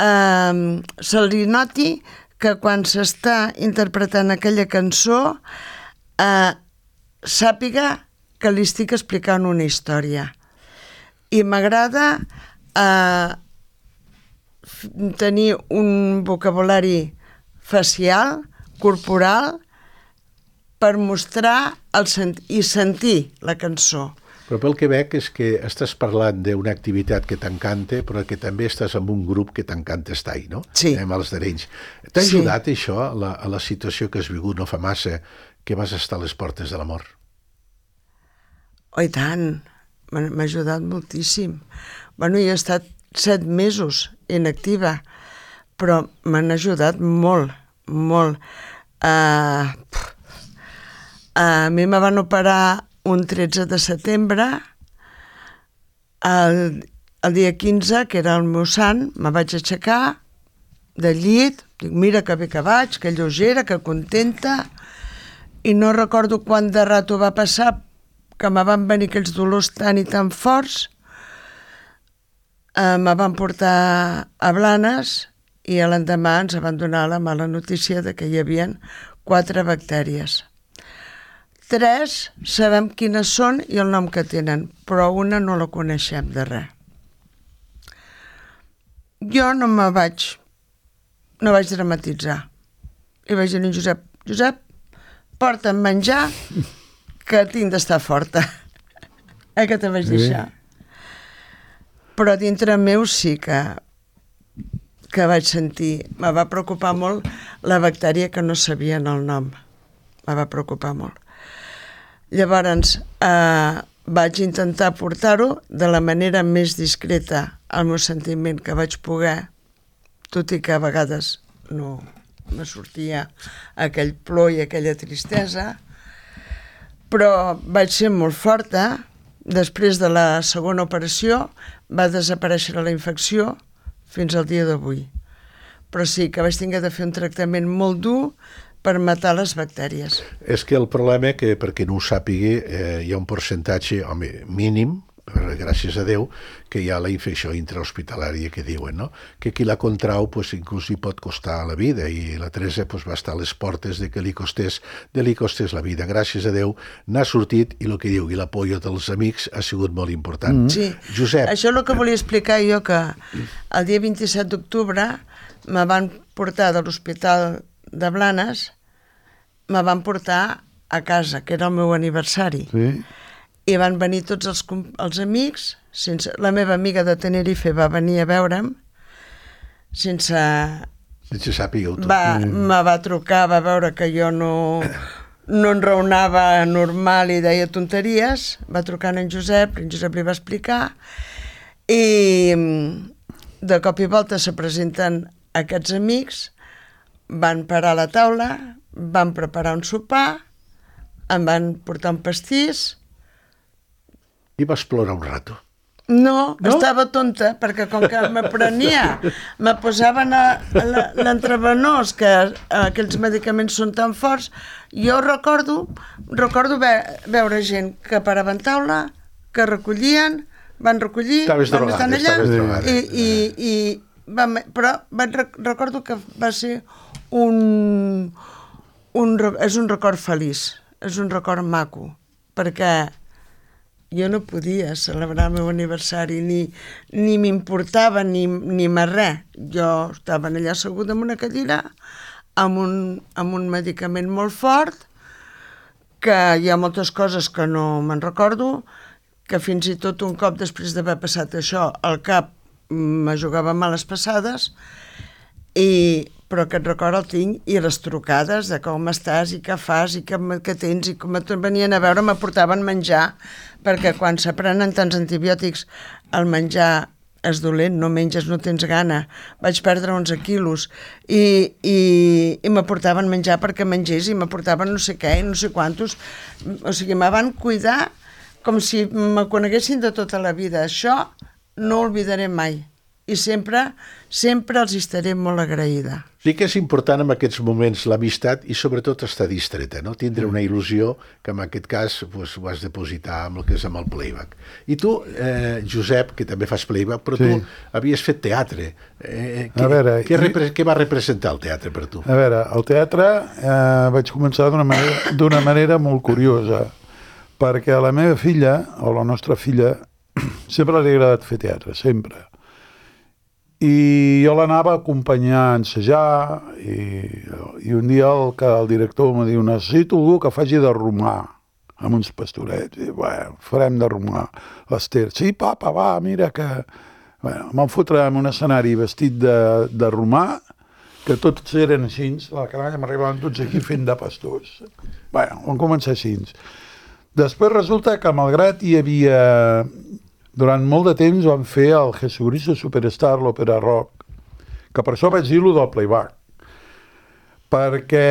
eh, se li noti que quan s'està interpretant aquella cançó eh, sàpiga que li estic explicant una història. I m'agrada eh, tenir un vocabulari facial, corporal, per mostrar el sent i sentir la cançó. Però pel que veig és que estàs parlant d'una activitat que t'encanta, però que també estàs en un grup que t'encanta estar-hi, no? Sí. Amb els d'Arenys. T'ha Sí. ajudat això, a la, a la situació que has viscut no fa massa, que vas estar a les portes de la mort? Oh, i tant, m'ha m'ha ajudat moltíssim. Bueno, jo he estat set mesos inactiva, però m'han ajudat molt, molt. Uh, a mi me van operar un tretze de setembre, el, el dia quinze, que era el meu sant, me vaig aixecar del llit, dic, mira que bé que vaig, que lleugera, que contenta, i no recordo quant de rato va passar, que me van venir aquells dolors tan i tan forts, eh, me van portar a Blanes i a l'endemà ens van donar la mala notícia de que hi havia quatre bactèries. Tres sabem quines són i el nom que tenen, però una no la coneixem de res. Jo no me vaig, no vaig dramatitzar. I vaig dir a en Josep, Josep, porta'm menjar, que tinc d'estar forta. Eh, que te vaig deixar. Però dintre meu sí que que vaig sentir, me va preocupar molt la bactèria que no sabien el nom. Me va preocupar molt. Llavors, eh, vaig intentar portar-ho de la manera més discreta al meu sentiment que vaig poder, tot i que a vegades no me sortia aquell plor i aquella tristesa, però vaig ser molt forta. Després de la segona operació va desaparèixer la infecció fins al dia d'avui. Però sí que vaig tenir de fer un tractament molt dur per matar les bactèries. És que el problema, que perquè no ho sàpigui, eh, hi ha un percentatge, home, mínim, gràcies a Déu, que hi ha la infecció intrahospitalària que diuen, no? Que qui la contrau pues, inclús li pot costar la vida, i la Teresa pues, va estar a les portes de que li costés, de li costés la vida. Gràcies a Déu n'ha sortit, i el que diu, i l'apoyo dels amics ha sigut molt important. Mm. Sí, Josep. Això és el que volia explicar jo, que el dia vint-i-set d'octubre me van portar de l'Hospital de Blanes, me van portar a casa, que era el meu aniversari. Sí. I van venir tots els, els amics, sense, la meva amiga de Tenerife va venir a veure'm, sense... Sense sàpiga-ho tot. Va, mm. Me va trucar, va veure que jo no, no enraonava normal i deia tonteries, va trucar en Josep, en Josep li va explicar, i de cop i volta se presenten aquests amics, van parar a la taula, van preparar un sopar, em van portar un pastís. I vas plorar un rato. No, no? Estava tonta, perquè com que me prenia, me posaven a, a l'entrevenós, que aquells medicaments són tan forts, jo recordo, recordo ve, veure gent que paraven taula, que recollien, van recollir, estaves van estar allà, drogada, i, i, i vam, però van, recordo que va ser un, un, és un record feliç, és un record maco, perquè jo no podia celebrar el meu aniversari, ni, ni m'importava, ni, ni més res. Jo estava allà asseguda en una cadira, amb un, amb un medicament molt fort, que hi ha moltes coses que no me'n recordo, que fins i tot un cop després d'haver passat això, al cap me jugava males passades, i, però aquest record el tinc, i les trucades de com estàs i què fas i què, què tens, i com venien a veure, m'aportaven menjar, perquè quan s'aprenen tants antibiòtics el menjar és dolent, no menges, no tens gana. Vaig perdre onze quilos i, i, i m'aportaven menjar perquè mengés, i m'aportaven no sé què i no sé quantos. O sigui, me van cuidar com si me coneguessin de tota la vida. Això no ho oblidaré mai. I sempre, sempre els estaré molt agraïda. Sí que és important en aquests moments l'amistat i sobretot estar distreta, no? Tindre una il·lusió que en aquest cas pues, ho has de depositar amb el que és amb el playback. I tu, eh, Josep, que també fas playback, però sí. Tu havies fet teatre. Eh, què, veure, què, repre què va representar el teatre per tu? A veure, el teatre eh, vaig començar d'una manera, d'una manera molt curiosa, perquè a la meva filla, o la nostra filla, sempre li ha agradat fer teatre, sempre. I jo l'anava a acompanyar a ensejar, i, i un dia el, que el director em diu, necessito algú que faci de romà amb uns pastorets. I bueno, farem de romà. L'Ester, sí, papa, va, mira que... Bueno, em van fotre en un escenari vestit de, de romà, que tots eren així, la canalla m'arribaven tots aquí fent de pastors. Bueno, vam començar així. Després resulta que, malgrat hi havia... Durant molt de temps vam fer el Jesucristo Superstar, l'òpera rock, que per això vaig dir-lo del playback. Perquè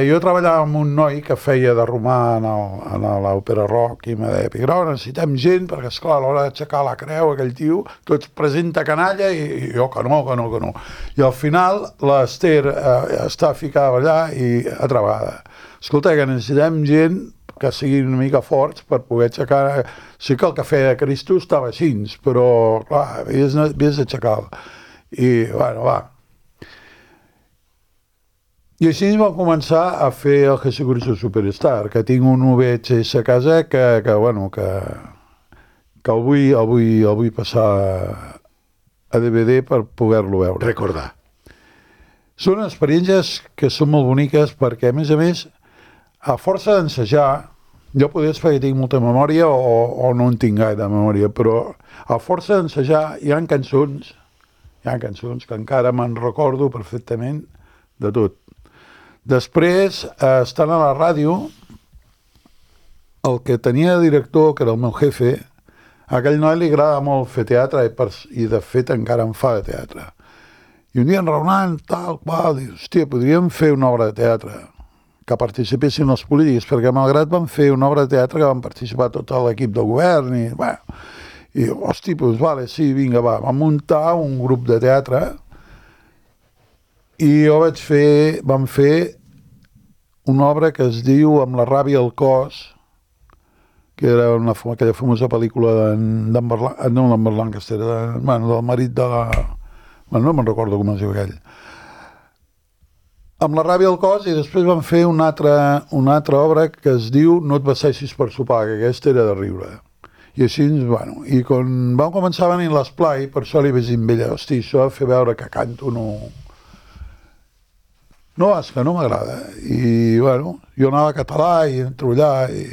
jo treballava amb un noi que feia de romà en l'òpera rock i me deia, Pigrau, necessitem gent, perquè esclar, a l'hora d'aixecar la creu, aquell tio, tots presenta canalla i jo que no, que no, que no. I al final l'Ester eh, està ficada allà i atrapada. Escolta, que necessitem gent que siguin una mica forts per poder aixecar... Sí que el cafè de Cristo estava així, però, clar, havies, havies d'aixecar-lo. I, bueno, va. I així vam començar a fer el Jesucristo Superstar, que tinc un V H S a casa que, que bueno, que, que el vull, el vull, el vull passar a D V D per poder-lo veure. Recordar. Són experiències que són molt boniques perquè, a més a més, a força d'ensejar, jo podria dir que tinc molta memòria o, o no en tinc gaire de memòria, però a força d'ensejar hi ha cançons, hi ha cançons que encara me'n recordo perfectament de tot. Després, eh, estant a la ràdio, el que tenia de director, que era el meu jefe, a aquell noi li agrada molt fer teatre i, per, i de fet encara en fa de teatre. I un dia enraonant, tal qual, dius, hòstia, podríem fer una obra de teatre que participessin els polítics, perquè malgrat van fer una obra de teatre que van participar tot l'equip del govern, i, bueno, i hosti, doncs, vale, sí, vinga, va, vam muntar un grup de teatre i jo vaig fer, vam fer una obra que es diu Amb la ràbia al cos, que era una, aquella famosa pel·lícula d'en Berlan, no d'en Berlancaster, de, bueno, del marit de la... Bueno, no me'n recordo com es diu aquell. Amb la ràbia al cos, i després van fer una altra, una altra obra que es diu No et vesteixis per sopar, que aquesta era de riure. I així, bueno, i quan vam començar a venir l'esplai, per això li vaig dir amb ella, hosti, això de fer veure que canto no... No, és que no m'agrada. I, bueno, jo anava a català i entro allà i...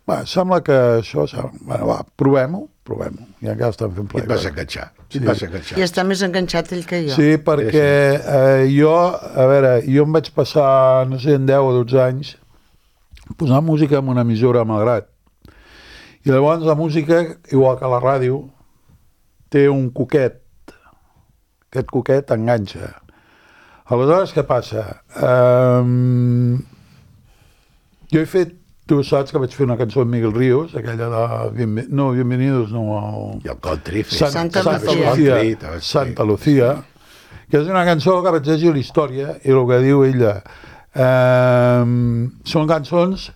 Bé, sembla que això... Bueno, va, provem-ho, provem-ho. I encara estan fent I et vas enganxar. Sí. Et vas enganxar. I està més enganxat ell que jo. Sí, perquè eh, jo, a veure, jo em vaig passar, no sé, en deu o dotze anys, posant música en una emissora a Malgrat. I llavors la música, igual que la ràdio, té un coquet. Aquest coquet enganxa. Aleshores, què passa? Um, jo he fet, tu saps que vaig fer una cançó amb Miguel Ríos, aquella de... Bienven... No, Bienvenidos, no... El... I el country. Sant, Santa Santa Lucía. Lucía. Santa Lucía, que és una cançó que vaig llegir la història i el que diu ella eh, són cançons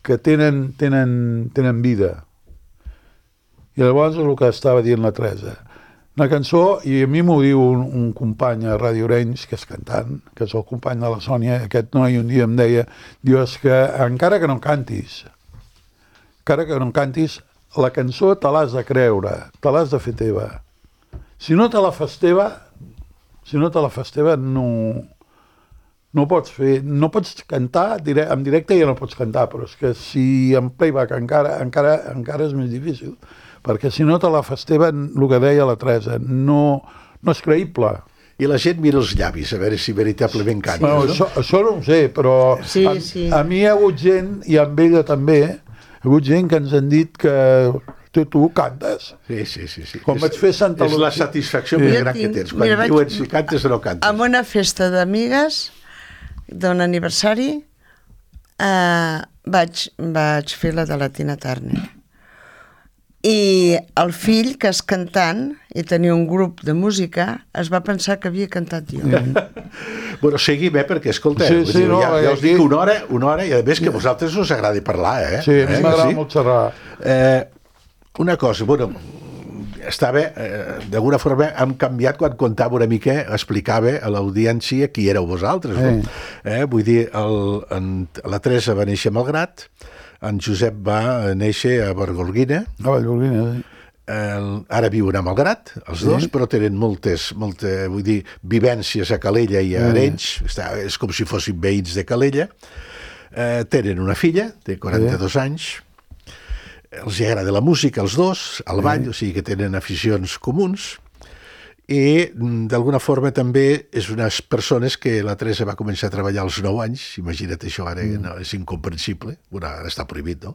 que tenen, tenen, tenen vida. I llavors és el que estava dient la Teresa. Una cançó, i a mi m'ho diu un, un company a Ràdio Orenys, que és cantant, que és el company de la Sònia, aquest noi un dia em deia, diu, és que encara que no cantis, encara que no cantis, la cançó te l'has de creure, te l'has de fer teva. Si no te la fas teva, si no te la fas teva, no, no pots fer, no pots cantar, dire, en directe ja no pots cantar, però és que si en playback encara, encara, encara és més difícil. Perquè si no te la fas teva, el que deia la Teresa, no, no és creïble. I la gent mira els llavis, a veure si veritablement cantes, Bueno, no? això, això no ho sé, però Sí, a, sí. a mi hi ha hagut gent, i amb ella també, hi ha hagut gent que ens han dit que tu, tu cantes. Sí, sí, sí. sí. Com és, vaig fer Santa És la Lucía. satisfacció Sí. més Jo gran que tinc- tens, quan mira, vaig- diuen si cantes o no cantes. En una festa d'amigues d'un aniversari eh, vaig, vaig fer la de la Tina Turner. I el fill, que és cantant i tenia un grup de música, es va pensar que havia cantat jo. Bueno, seguim, eh, perquè, escolta, Sí, vull sí, dir, no, ja, ja us aquí- dic una hora, una hora, i a més que a vosaltres us agradi parlar, eh? Sí, a mi eh, m'agrada sí? molt xerrar. Eh, una cosa, bueno, estava, eh, d'alguna forma hem canviat quan contava una mica, explicava a l'audiència qui éreu vosaltres, no? Eh, vull dir, el, en, la Teresa va néixer a Malgrat, en Josep va néixer a Vallgorguina, A Vallgorguina, sí. el, ara viuen a Malgrat, els dos, Sí. però tenen moltes, molta, vull dir, vivències a Calella i a Arenys, està, és com si fossin veïns de Calella, eh, tenen una filla de quaranta-dos anys, els hi agrada la música, els dos, al ball, o sigui que tenen aficions comuns, i mm, d'alguna forma també és unes persones que la Teresa va començar a treballar als nou anys, imagina't això, ara mm. no, és incomprensible, bueno, ara està prohibit, no?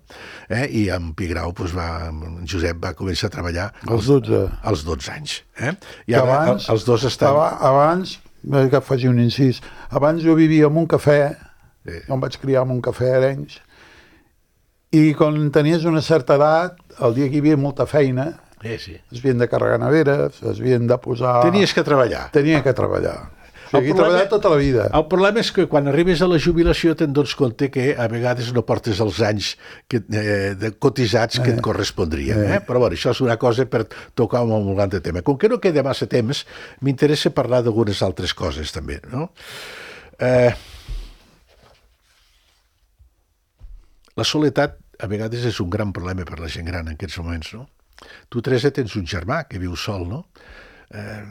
Eh? I en Pigrau, doncs, va, en Josep va començar a treballar Els dotze. als dotze anys. Eh? I Que ara abans, els dos estan... aba- Abans, eh, que faci un incís, abans jo vivia en un cafè, Sí. jo em vaig criar en un cafè a Arenys, i quan tenies una certa edat, el dia que hi havia molta feina, Sí, sí. es havien de carregar neveres, es havien de posar... Tenies que treballar. Tenia que treballar. O sigui, El he problema- treballat tota la vida. El problema és que quan arribes a la jubilació te'n dones compte que a vegades no portes els anys que, eh, de cotitzats que et correspondrien. Eh? Però bueno, això és una cosa per tocar un molt gran tema. Com que no queda massa temps, m'interessa parlar d'algunes altres coses també. No? Eh, la soledat a vegades és un gran problema per la gent gran en aquests moments, no? Tu, Teresa, tens un germà que viu sol, no? Eh,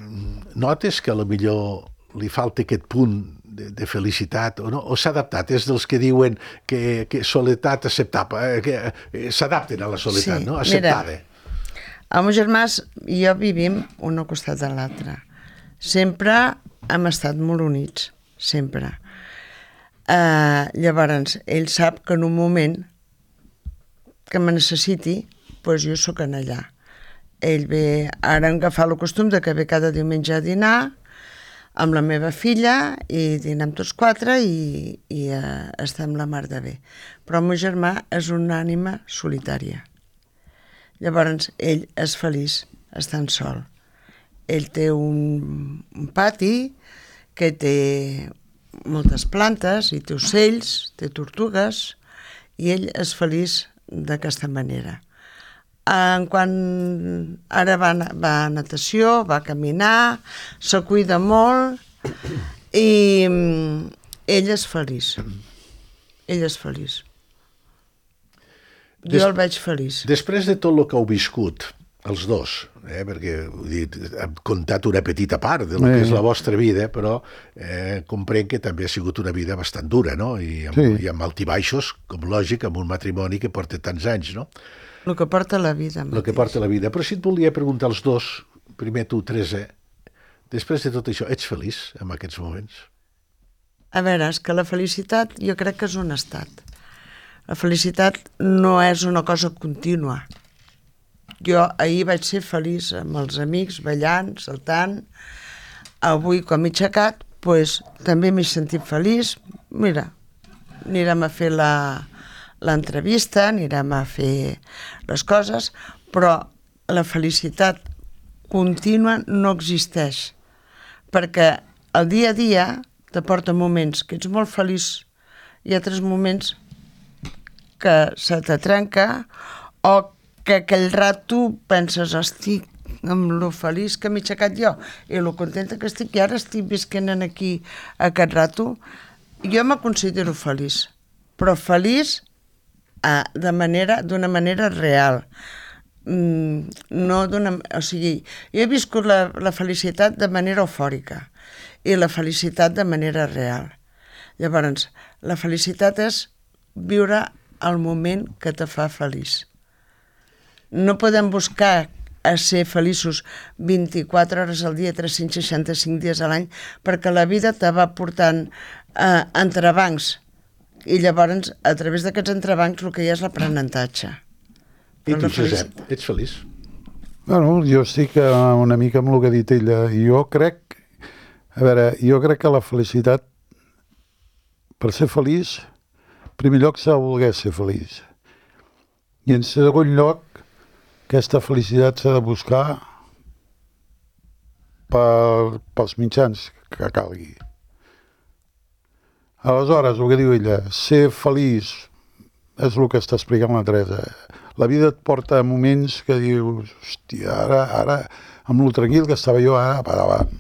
notes que a lo millor li falta aquest punt de, de felicitat o no? O s'ha adaptat? És dels que diuen que, que soledat acceptable, eh, que eh, s'adapten a la soledat, Sí, no? mira. Acceptada. El meu germà i jo vivim un al costat de l'altre. Sempre hem estat molt units, sempre. Uh, llavors, ell sap que en un moment que me necessiti, doncs jo sóc en allà. Ell ve, ara hem agafat el costum de que ve cada diumenge a dinar amb la meva filla i dinem tots quatre i, i uh, estem la mar de bé. Però el meu germà és una ànima solitària. Llavors, ell és feliç estant sol. Ell té un, un pati que té moltes plantes i té ocells, té tortugues i ell és feliç d'aquesta manera. En quan ara va, va a natació, va a caminar, se cuida molt i ell és feliç. Ell és feliç. Jo Des... el veig feliç. Després de tot el que heu viscut, els dos, eh, perquè heu dit, hem contat una petita part de lo que és la vostra vida, però eh, comprenc que també ha sigut una vida bastant dura, no? I amb, sí. i amb altibaixos, com lògic, amb un matrimoni que porta tants anys, no? El que porta la vida. El que porta la vida. Però si et volia preguntar als dos, primer tu, Teresa, després de tot això, ets feliç en aquests moments? A veure, és que la felicitat jo crec que és un estat. La felicitat no és una cosa contínua. Jo ahir vaig ser feliç amb els amics, ballant, saltant. Avui, quan m'he aixecat, pues, també m'he sentit feliç. Mira, anirem a fer la... l'entrevista, anirem a fer les coses, però la felicitat contínua no existeix, perquè el dia a dia t'aporta moments que ets molt feliç i altres moments que se te trenca o que aquell rato penses, estic amb lo feliç que m'he aixecat jo i lo contenta que estic i ara estic visquent aquí aquest rato. Jo me considero feliç, però feliç de manera, d'una manera real. Mm, no d'una... O sigui, jo he viscut la, la felicitat de manera eufòrica i la felicitat de manera real. Llavors, la felicitat és viure el moment que te fa feliç. No podem buscar a ser feliços vint-i-quatre hores al dia, tres-cents seixanta-cinc dies a l'any, perquè la vida te va portant eh, entrebancs. I llavors, a través d'aquests entrebancs, el que hi ha és l'aprenentatge. I tu, Josep, ets feliç? Bueno, jo estic una mica amb el que ha dit ella. Jo crec, a veure, jo crec que la felicitat, per ser feliç, en primer lloc s'ha de voler ser feliç. I en segon lloc, aquesta felicitat s'ha de buscar per, pels mitjans que calgui. Aleshores, el que diu ella, ser feliç és el que està explicant la Teresa. La vida et porta a moments que dius, hòstia, ara, ara, amb lo tranquil que estava jo, ara, per davant.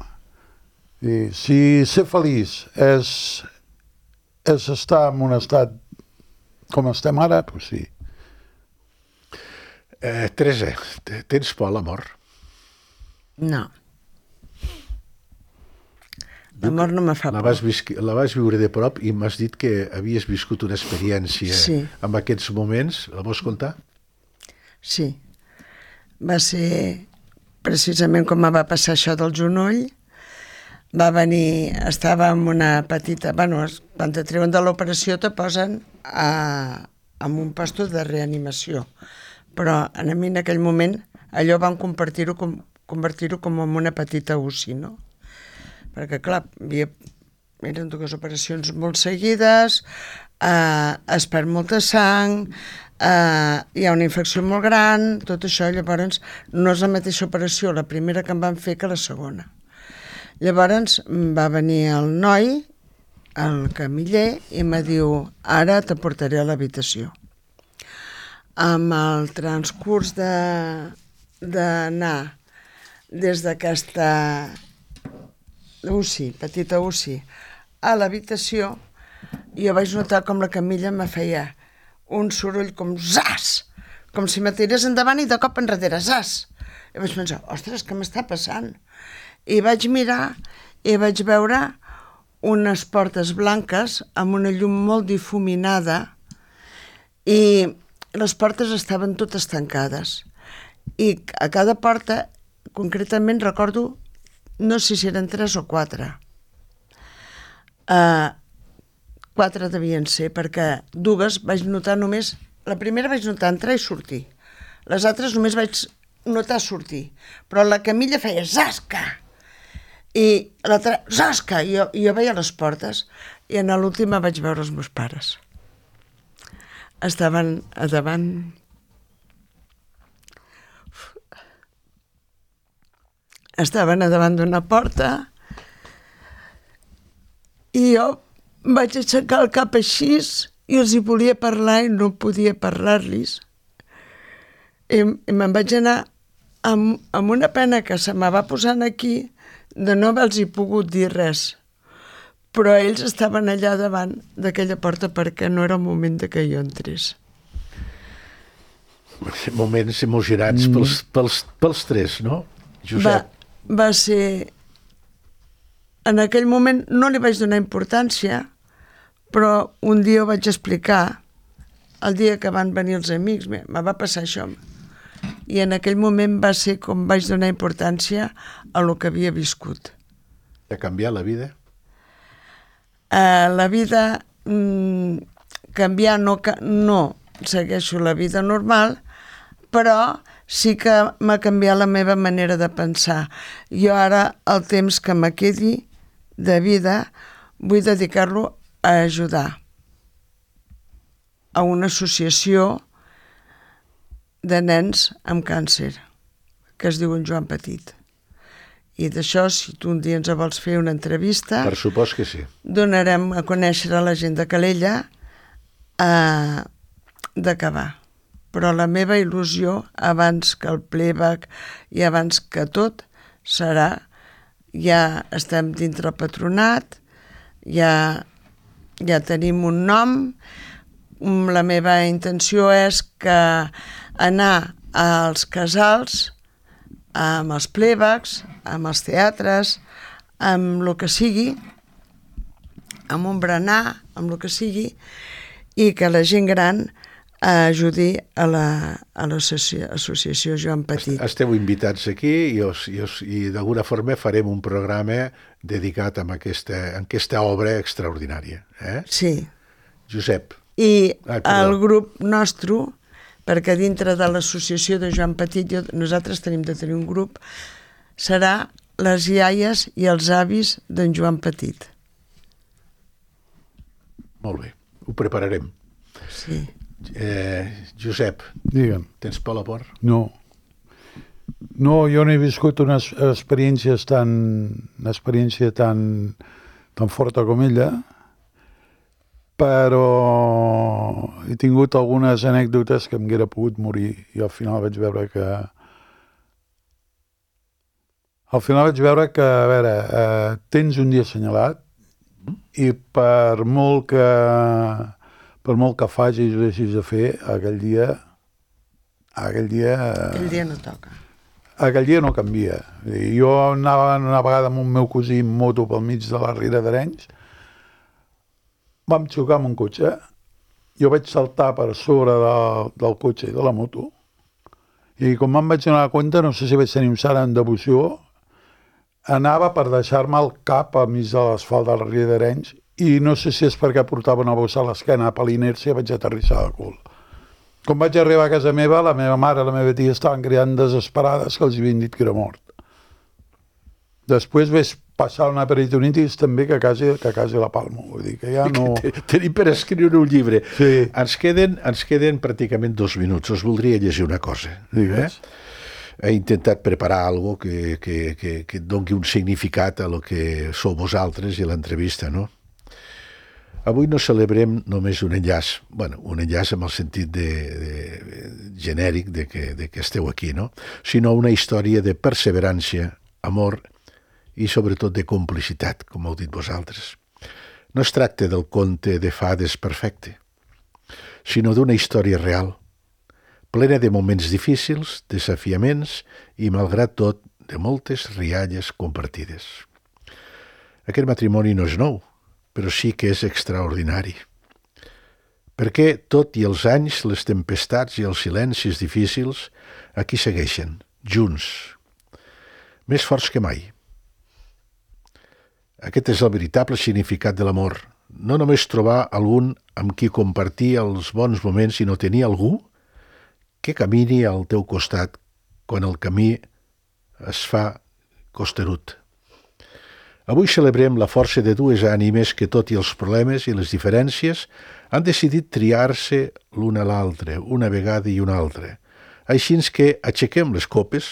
I si ser feliç és, és estar en un estat com estem ara, doncs sí. Eh, Teresa, tens por a la mort? No. L'amor no me fa por. La vas, la vas viure de prop i m'has dit que havies viscut una experiència sí. en aquests moments. La vols contar? Sí. Va ser precisament com va passar això del genoll. Va venir, estava en una petita... Bueno, quan te treuen de l'operació te posen a, en un posto de reanimació. Però a mi en aquell moment allò van convertir-ho com, convertir-ho com en una petita U C I, no? Perquè, clar, havia, eren dues operacions molt seguides, eh, es perd molta sang, eh, hi ha una infecció molt gran, tot això, llavors no és la mateixa operació la primera que em van fer que la segona. Llavors va venir el noi, el camiller, i em diu, ara te portaré a l'habitació. Amb el transcurs de, d'anar des d'aquesta U C I, petita U C I, a l'habitació, jo vaig notar com la Camilla me feia un soroll com zas, com si me tirés endavant i de cop enrere, zas. I vaig pensar, ostres, què m'està passant? I vaig mirar i vaig veure unes portes blanques amb una llum molt difuminada i les portes estaven totes tancades. I a cada porta, concretament, recordo no sé si eren tres o quatre. Uh, quatre devien ser, perquè dues vaig notar només... La primera vaig notar entrar i sortir. Les altres només vaig notar sortir. Però la Camilla feia zasca! I l'altra, zasca! I jo, jo veia les portes i en l'última vaig veure els meus pares. Estaven a davant... Estaven a davant d'una porta i jo vaig aixecar el cap així i els hi volia parlar i no podia parlar-los. I, i me'n vaig anar amb, amb una pena que se me va posant aquí de no haver-los pogut dir res. Però ells estaven allà davant d'aquella porta perquè no era el moment de que jo entrés. Moments emocionants mm. pels, pels, pels tres, no, Josep? Va, va ser... En aquell moment no li vaig donar importància, però un dia ho vaig explicar, el dia que van venir els amics, me va passar això. I en aquell moment va ser com vaig donar importància a lo que havia viscut. Ha canviat la vida? Uh, la vida, mm, canviar no, no segueixo la vida normal, però sí que m'ha canviat la meva manera de pensar. Jo ara, el temps que me quedi de vida, vull dedicar-lo a ajudar a una associació de nens amb càncer, que es diu en Joan Petit. I d'això, si tu un dia ens vols fer una entrevista... Per supost que sí. Donarem a conèixer a la gent de Calella eh, d'acabar. Però la meva il·lusió, abans que el playback i abans que tot, serà... Ja estem dintre el patronat, ja, ja tenim un nom. La meva intenció és que anar als casals, amb els playbacks, amb els teatres, amb el que sigui, amb un berenar, amb el que sigui, i que la gent gran ajudi a l'associació Joan Petit. Esteu invitats aquí i, os, i, os, i d'alguna forma farem un programa dedicat a aquesta, a aquesta obra extraordinària. Eh? Sí. Josep. I Ai, el grup nostre, perquè dintre de l'associació de Joan Petit, jo, nosaltres tenim de tenir un grup, serà les iaies i els avis d'en Joan Petit. Molt bé, ho prepararem. Sí. Eh, Josep, Digue'm. Tens por a la por? No. No, jo no he viscut unes experiències tan, una experiència tan, tan forta com ella, però he tingut algunes anècdotes que em haguera pogut morir i al final vaig veure que... Al final vaig veure que, a veure, eh, tens un dia assenyalat i per molt que... per molt que facis i deixis de fer, aquell dia... Aquell dia... Aquell dia no toca. Aquell dia no canvia. Jo anava una vegada amb un meu cosí en moto pel mig de la Riera d'Arenys, vam xocar amb un cotxe, jo vaig saltar per sobre de, del cotxe i de la moto, i com me'n vaig donar compte, no sé si vaig tenir un salt en devoció, anava per deixar-me el cap al mig de l'asfalt de la Riera d'Arenys, i no sé si és perquè portava una bossa a l'esquena, per l'inèrcia vaig aterrissar de cul. Com vaig arribar a casa meva, la meva mare i la meva tia estaven cridant desesperades que els havien dit que era mort. Després vaig passar una peritonitis també que quasi, que quasi la palmo. Vull dir que ja no... Tenim per escriure un llibre. Sí. Ens queden, ens queden pràcticament dos minuts. Us voldria llegir una cosa. Digues. Eh? He intentat preparar algo que, que, que, que doni un significat a lo que sou vosaltres i a l'entrevista, no? Avui no celebrem només un enllaç, bueno, un enllaç amb el sentit de, de, genèric de que, de que esteu aquí, no? Sinó una història de perseverança, amor i sobretot de complicitat, com heu dit vosaltres. No es tracta del conte de fades perfecte, sinó d'una història real, plena de moments difícils, desafiaments i, malgrat tot, de moltes rialles compartides. Aquest matrimoni no és nou, però sí que és extraordinari. Perquè, tot i els anys, les tempestats i els silencis difícils, aquí segueixen, junts, més forts que mai. Aquest és el veritable significat de l'amor. No només trobar algun amb qui compartir els bons moments, sinó tenir algú que camini al teu costat quan el camí es fa costerut. Avui celebrem la força de dues ànimes que, tot i els problemes i les diferències, han decidit triar-se l'una a l'altra, una vegada i una altra. Així que aixequem les copes,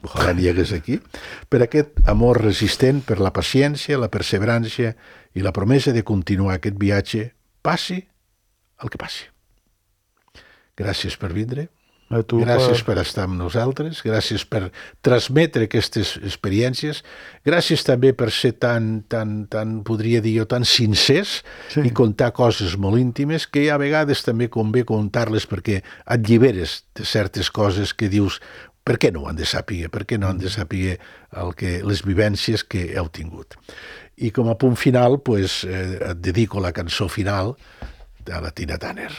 ojalà n'hi hagués aquí, per aquest amor resistent, per la paciència, la perseverança i la promesa de continuar aquest viatge, passi el que passi. Gràcies per vindre. A tu Gràcies per... per estar amb nosaltres, gràcies per transmetre aquestes experiències, gràcies també per ser tan, tan, tan podria dir jo, tan sincers Sí. i contar coses molt íntimes que a vegades també convé contar-les perquè et lliberes de certes coses que dius per què no ho han de saber, per què no han de saber el que, les vivències que heu tingut. I com a punt final, pues, eh, et dedico la cançó final de la Tina Turner.